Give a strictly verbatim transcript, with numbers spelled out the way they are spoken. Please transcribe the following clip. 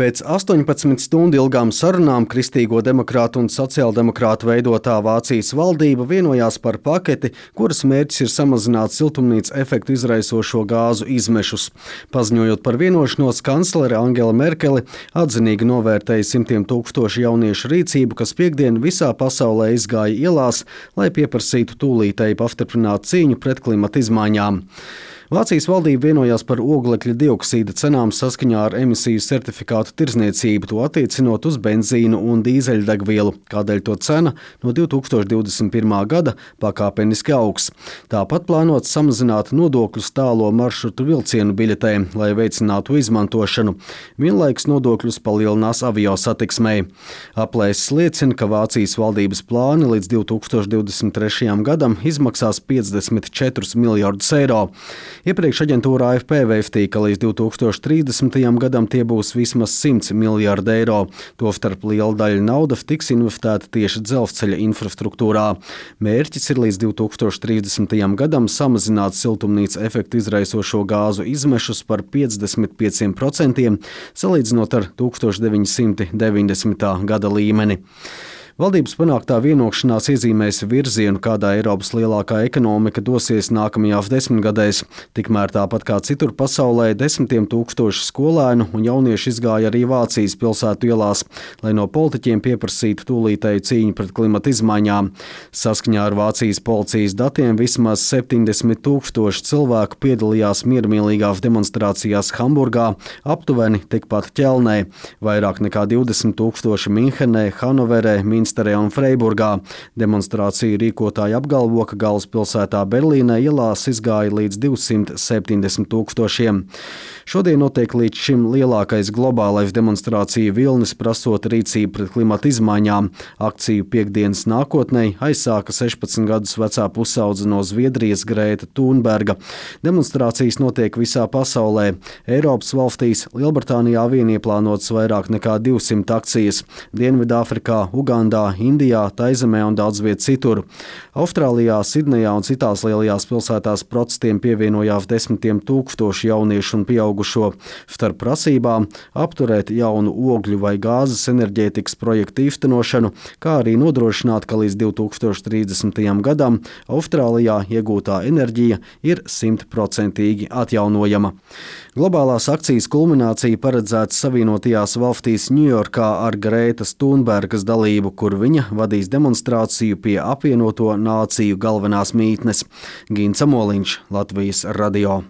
Pēc astoņpadsmit stundu ilgām sarunām Kristīgo demokrātu un sociāldemokrātu veidotā Vācijas valdība vienojās par paketi, kuras mērķis ir samazināt siltumnīca efektu izraisošo gāzu izmešus. Paziņojot par vienošanos, kanclere Angela Merkele atzinīgi novērtēja simtiem tūkstošu jauniešu rīcību, kas piektdien visā pasaulē izgāja ielās, lai pieprasītu tūlītēji pastiprinātu cīņu pret klimata izmaiņām. Vācijas valdība vienojās par oglekļa dioksīda cenām saskaņā ar emisiju certifikātu tirdzniecību, to attiecinot uz benzīnu un dīzeļdegvielu, kādēļ to cena no divi tūkstoši divdesmit pirmā gada pakāpeniski augs. Tāpat plānots samazināt nodokļus tālo maršrutu vilcienu biļetēm, lai veicinātu izmantošanu. Vienlaikus nodokļus palielinās avio satiksmei. Aplēses liecina, ka Vācijas valdības plāni līdz divi tūkstoši divdesmit trešajam gadam izmaksās piecdesmit četrus miljardus eiro. Iepriekš aģentūra A F P vēstīja, ka līdz divi tūkstoši trīsdesmitajam gadam tie būs vismaz simts miljardi eiro. Tostarp liela daļa naudas tiks investēta tieši dzelzceļa infrastruktūrā. Mērķis ir līdz divi tūkstoši trīsdesmitajam gadam samazināt siltumnīca efektu izraisošo gāzu izmešus par piecdesmit pieciem procentiem, salīdzinot ar tūkstoš deviņi simti deviņdesmitā gada līmeni. Valdības panāktā vienošanās iezīmēs virzienu, kādā Eiropas lielākā ekonomika dosies nākamajās desmitgadēs. Tikmēr tāpat kā citur pasaulē, desmitiem tūkstoši skolēnu un jaunieši izgāja arī Vācijas pilsētu ielās, lai no politiķiem pieprasītu tūlītēju cīņu pret klimata izmaiņām. Saskaņā ar Vācijas policijas datiem vismaz septiņdesmit tūkstoši cilvēku piedalījās miermīlīgās demonstrācijās Hamburgā, aptuveni tikpat Ķelnē, vairāk nekā divdesmit tūkstoši Minhenē, Hanoverē, Minsterē un Freiburgā. Demonstrāciju rīkotāji apgalvo, ka galvaspilsētā Berlīnē ielās izgāja līdz divsimt septiņdesmit tūkstošiem. Šodien notiek līdz šim lielākais globālais demonstrāciju vilnis, prasot rīcību pret klimata izmaiņām. Akciju piektdienas nākotnē aizsāka sešpadsmit gadus vecā pusaudze no Zviedrijas Grēta Thunberga. Demonstrācijas notiek visā pasaulē. Eiropas valstīs Lielbritānijā vien ieplānotas vairāk nekā divsimt akcijas. Dienvidāfrikā, Ugandā, Indijā, Taizemē un daudz viet citur. Austrālijā, Sidnejā un citās lielajās pilsētās protestiem pievienojās desmitiem tūkstoši jauniešu un pieaugušo. Starp prasībām apturēt jaunu ogļu vai gāzes enerģētikas projektu īstenošanu, kā arī nodrošināt, ka līdz divi tūkstoši trīsdesmitajam gadam Austrālijā iegūtā enerģija ir simtprocentīgi atjaunojama. Globālās akcijas kulminācija paredzēta Savienotajās valstīs Ņujorkā ar Grētas Thunbergas dalību, kur viņa vadīs demonstrāciju pie apvienoto nāciju galvenās mītnes. Gints Amoliņš, Latvijas radio.